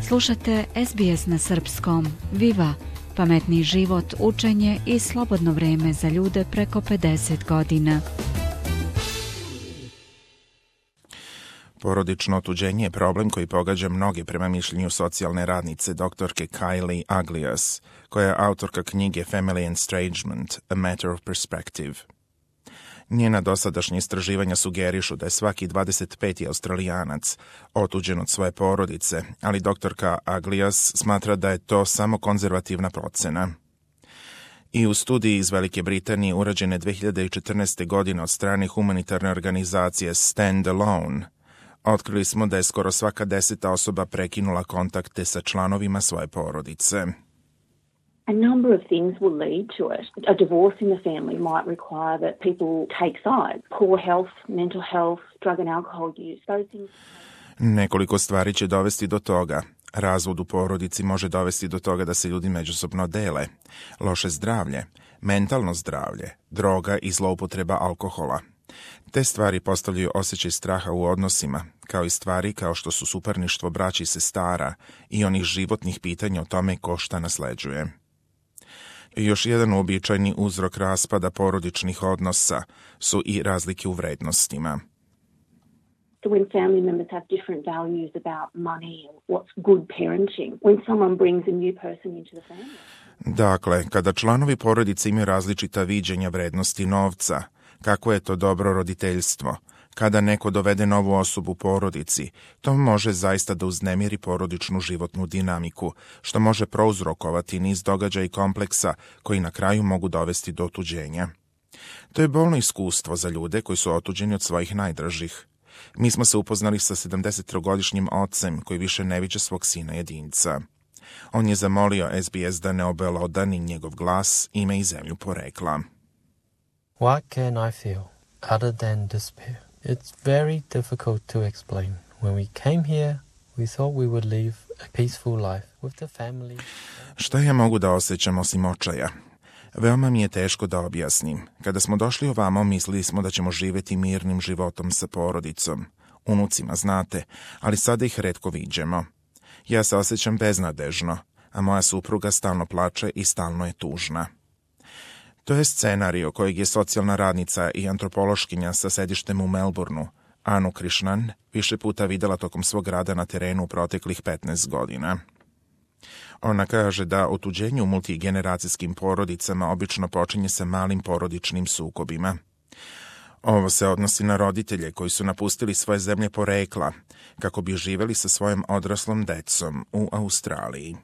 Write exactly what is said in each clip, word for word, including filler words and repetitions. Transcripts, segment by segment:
Slušate S B S na srpskom. Viva! Pametni život, učenje i slobodno vreme za ljude preko pedeset godina. Porodično otuđenje je problem koji pogađa mnoge prema mišljenju socijalne radnice doktorke Kylie Aglias, koja je autorka knjige Family Estrangement, A Matter of Perspective. Njena dosadašnja istraživanja sugerišu da je svaki dvadeset peti Australijanac otuđen od svoje porodice, ali doktorka Aglias smatra da je to samo konzervativna procena. I u studiji iz Velike Britanije urađene dve hiljade četrnaeste. godine od strane humanitarne organizacije Stand Alone, otkrili smo da je skoro svaka deseta osoba prekinula kontakte sa članovima svoje porodice. A number of things will lead to it. A divorce in the family might require that people take sides. Poor health, mental health, drug and alcohol use, those things. Nekoliko stvari će dovesti do toga. Razvod u porodici može dovesti do toga da se ljudi međusobno dele. Loše zdravlje, mentalno zdravlje, droga i zloupotreba alkohola. Te stvari postavljaju osjećaj straha u odnosima, kao i stvari kao što su suparništvo braći i sestara i onih životnih pitanja o tome ko šta nasleđuje. Još jedan uobičajeni uzrok raspada porodičnih odnosa su i razlike u vrednostima. So when family members have different values about money or what's good parenting, when someone brings a new person into the family. Dakle, kada članovi porodice imaju različita viđenja vrednosti novca, kako je to dobro roditeljstvo, kada neko dovede novu osobu u porodici, to može zaista da uznemiri porodičnu životnu dinamiku, što može prouzrokovati niz događaja i kompleksa koji na kraju mogu dovesti do otuđenja. To je bolno iskustvo za ljude koji su otuđeni od svojih najdražih. Mi smo se upoznali sa sedamdesettrogodišnjim ocem koji više ne viđa svog sina jedinca. On je zamolio S B S da ne obelodani njegov glas, ime i zemlju porekla. What can I feel other than despair? It's very difficult to explain. When we came here, we thought we would live a peaceful life with the family. Šta ja mogu da osjećam osim očaja? Veoma mi je teško da objasnim. Kada smo došli ovamo, mislili smo da ćemo živjeti mirnim životom sa porodicom. Unucima, znate, ali sada ih retko viđemo. Ja se osjećam beznadežno, a moja supruga stalno plače i stalno je tužna. To je scenario kojeg je socijalna radnica i antropološkinja sa sedištem u Melbourneu, Anu Krishnan, više puta videla tokom svog rada na terenu u proteklih petnaest godina. Ona kaže da otuđenje u multigeneracijskim porodicama obično počinje sa malim porodičnim sukobima. Ovo se odnosi na roditelje koji su napustili svoje zemlje porekla kako bi živjeli sa svojom odraslom decom u Australiji.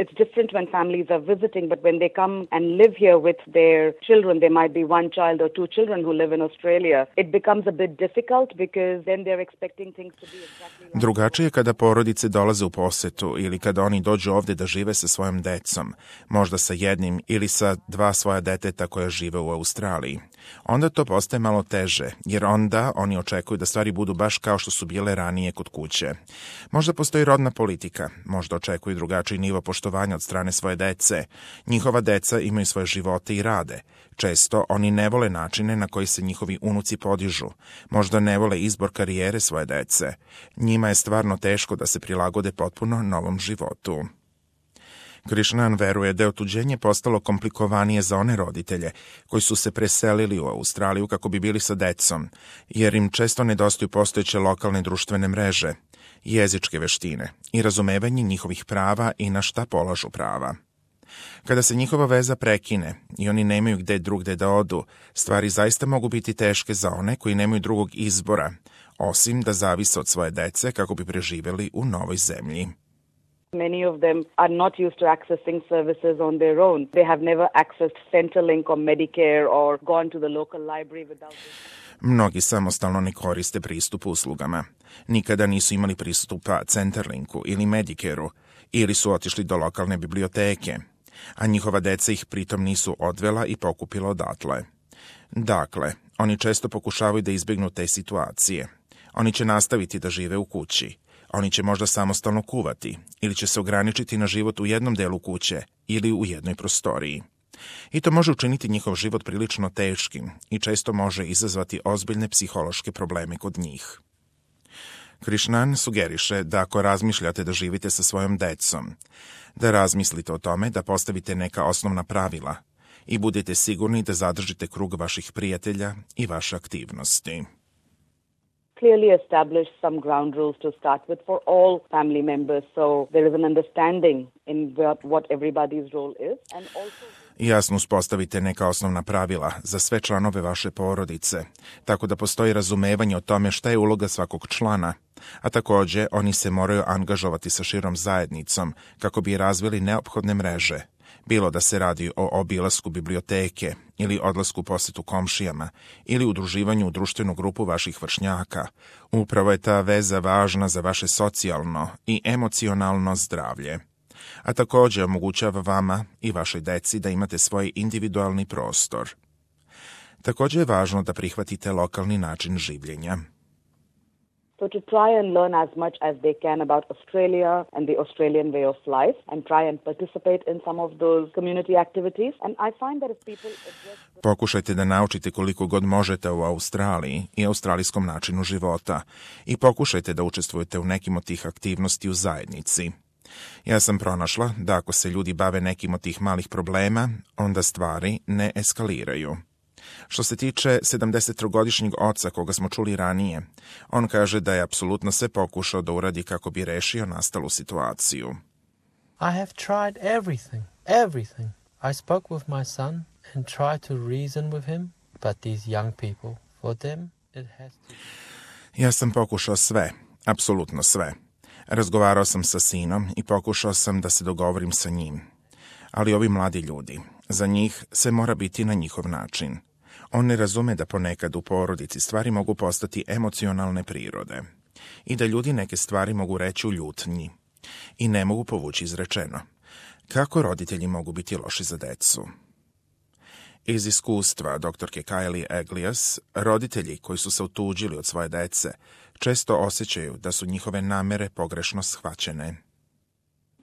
It's different when families are visiting, but when they come and live here with their children, there might be one child or two children who live in Australia. It becomes a bit difficult because then they're expecting things to be exactly like... Drugačije kada porodice dolaze u posetu ili kada oni dođu ovdje da žive sa svojom decom, možda sa jednim ili sa dva svoja deteta koja žive u Australiji. Onda to postaje malo teže, jer onda oni očekuju da stvari budu baš kao što su bile ranije kod kuće. Možda postoji rodna politika, možda očekuju drugačiji nivo poštovanja od strane svoje dece. Njihova deca imaju svoje živote i rade. Često oni ne vole načine na koji se njihovi unuci podižu. Možda ne vole izbor karijere svoje dece. Njima je stvarno teško da se prilagode potpuno novom životu. Krishnan veruje da je otuđenje postalo komplikovanije za one roditelje koji su se preselili u Australiju kako bi bili sa decom, jer im često nedostaju postojeće lokalne društvene mreže, jezičke veštine i razumevanje njihovih prava i na šta polažu prava. Kada se njihova veza prekine i oni nemaju gde drugde da odu, stvari zaista mogu biti teške za one koji nemaju drugog izbora, osim da zavise od svoje dece kako bi preživjeli u novoj zemlji. Many of them are not used to accessing services on their own. They have never accessed Centrelink or Medicare or gone to the local library without it. Mnogi samostalno ne koriste pristup uslugama. Nikada nisu imali pristupa Centrelinku ili Medicareu ili su otišli do lokalne biblioteke, a njihova deca ih pritom nisu odvela i pokupila odatle. Dakle, oni često pokušavaju da izbjegnu te situacije. Oni će nastaviti da žive u kući. Oni će možda samostalno kuvati ili će se ograničiti na život u jednom delu kuće ili u jednoj prostoriji. I to može učiniti njihov život prilično teškim i često može izazvati ozbiljne psihološke probleme kod njih. Krishnan sugeriše da ako razmišljate da živite sa svojom decom, da razmislite o tome da postavite neka osnovna pravila i budete sigurni da zadržite krug vaših prijatelja i vaše aktivnosti. Clearly establish some ground rules to start with for all family members, so there is an understanding in what, what everybody's role is. And also... Jasno uspostavite neka osnovna pravila za sve članove vaše porodice, tako da postoji razumevanje o tome šta je uloga svakog člana, a također oni se moraju angažovati sa širom zajednicom kako bi razvili neophodne mreže, bilo da se radi o obilasku biblioteke ili odlasku u posjetu komšijama ili udruživanju u društvenu grupu vaših vršnjaka. Upravo je ta veza važna za vaše socijalno i emocionalno zdravlje. A također omogućava vama i vašoj deci da imate svoj individualni prostor. Također je važno da prihvatite lokalni način življenja. So to try and learn as much as they can about Australia and the Australian way of life and try and participate in some of those community activities. And I find that if people address... Pokušajte da naučite koliko god možete o Australiji i australijskom načinu života i pokušajte da učestvujete u nekim od tih aktivnosti u zajednici. Ja sam pronašla da ako se ljudi bave nekim od tih malih problema, onda stvari ne eskaliraju. Što se tiče sedamdesettrogodišnjeg oca koga smo čuli ranije, on kaže da je apsolutno sve pokušao da uradi kako bi rešio nastalu situaciju. I have tried everything, everything. I spoke with my son and tried to reason with him, but these young people, for them it has to... Ja sam pokušao sve, apsolutno sve. Razgovarao sam sa sinom i pokušao sam da se dogovorim sa njim. Ali ovi mladi ljudi, za njih se mora biti na njihov način. On ne razume da ponekad u porodici stvari mogu postati emocionalne prirode i da ljudi neke stvari mogu reći u ljutnji i ne mogu povući izrečeno. Kako roditelji mogu biti loši za decu? Iz iskustva doktorke Kylie Aglias, roditelji koji su se otuđili od svoje dece često osjećaju da su njihove namere pogrešno shvaćene.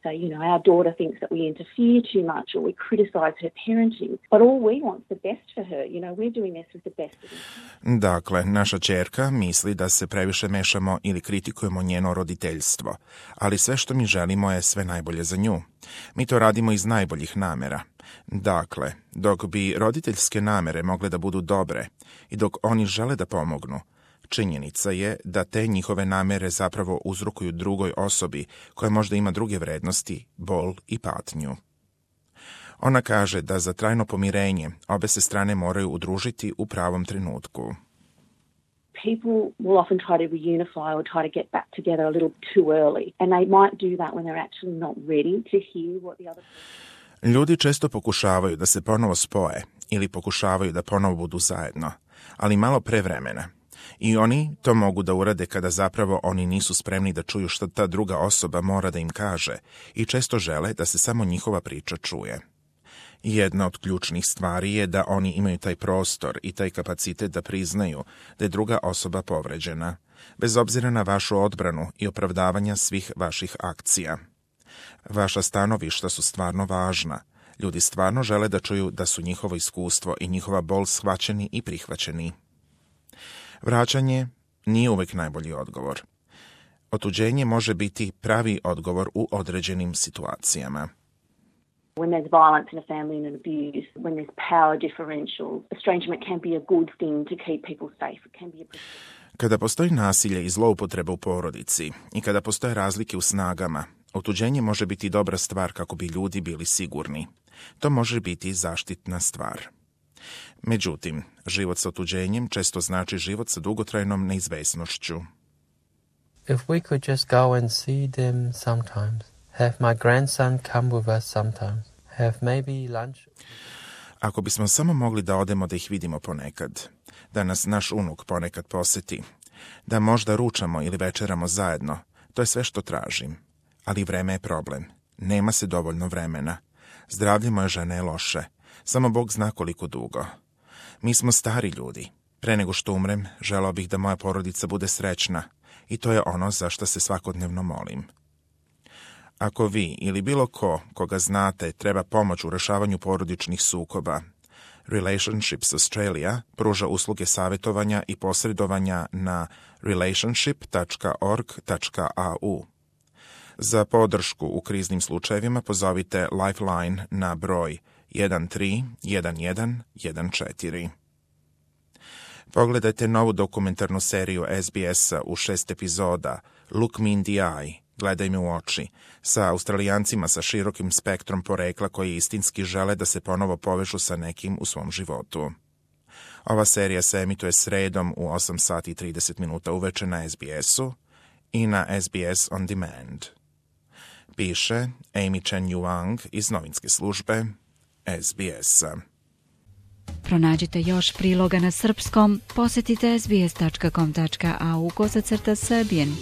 So, you know, our daughter thinks that we interfere too much or we criticize her parenting, but all we want is the best for her. You know, we're doing this with the best of them. Dakle, naša ćerka misli da se previše mešamo ili kritikujemo njeno roditeljstvo, ali sve što mi želimo je sve najbolje za nju. Mi to radimo iz najboljih namera. Dakle, dok bi roditeljske namere mogle da budu dobre i dok oni žele da pomognu, činjenica je da te njihove namere zapravo uzrokuju drugoj osobi koja možda ima druge vrednosti, bol i patnju. Ona kaže da za trajno pomirenje obe se strane moraju udružiti u pravom trenutku. People will often try to reunify or try to get back together a little too early, and they might do that when they're actually not ready to hear what the other person... Ljudi često pokušavaju da se ponovo spoje ili pokušavaju da ponovo budu zajedno, ali malo pre vremena. I oni to mogu da urade kada zapravo oni nisu spremni da čuju što ta druga osoba mora da im kaže i često žele da se samo njihova priča čuje. Jedna od ključnih stvari je da oni imaju taj prostor i taj kapacitet da priznaju da je druga osoba povređena, bez obzira na vašu odbranu i opravdavanja svih vaših akcija. Vaša stanovišta su stvarno važna. Ljudi stvarno žele da čuju da su njihovo iskustvo i njihova bol shvaćeni i prihvaćeni. Vraćanje nije uvek najbolji odgovor. Otuđenje može biti pravi odgovor u određenim situacijama. When there's violence in a family and abuse, when there's power differentials, estrangement can be a good thing to keep people safe. It can be a... Kada postoji nasilje i zloupotreba u porodici i kada postoje razlike u snagama, otuđenje može biti dobra stvar kako bi ljudi bili sigurni. To može biti zaštitna stvar. Međutim, život sa otuđenjem često znači život sa dugotrajnom neizvesnošću. If we could just go and see them sometimes, have my grandson come with us sometimes, have maybe lunch. Ako bismo samo mogli da odemo da ih vidimo ponekad, da nas naš unuk ponekad poseti, da možda ručamo ili večeramo zajedno, to je sve što tražim. Ali vreme je problem. Nema se dovoljno vremena. Zdravlje moje žene je loše. Samo Bog zna koliko dugo. Mi smo stari ljudi. Pre nego što umrem, želao bih da moja porodica bude srećna i to je ono za što se svakodnevno molim. Ako vi ili bilo ko, koga znate, treba pomoć u rešavanju porodičnih sukoba, Relationships Australia pruža usluge savjetovanja i posredovanja na relationship tačka org tačka a u. Za podršku u kriznim slučajevima pozovite Lifeline na broj jedan tri jedan jedan jedan četiri. Pogledajte novu dokumentarnu seriju S B S-a u šest epizoda Look Me in the Eye, Gledaj me u oči, sa Australijancima sa širokim spektrom porekla koji istinski žele da se ponovo povežu sa nekim u svom životu. Ova serija se emituje sredom u osam sati i trideset minuta uveče na S B S-u i na S B S On Demand. Piše Amy Chen Yuang iz novinske službe S B S-a. Pronađite još priloga na srpskom, posjetite sbs tačka com tačka a u kozacrta Serbian.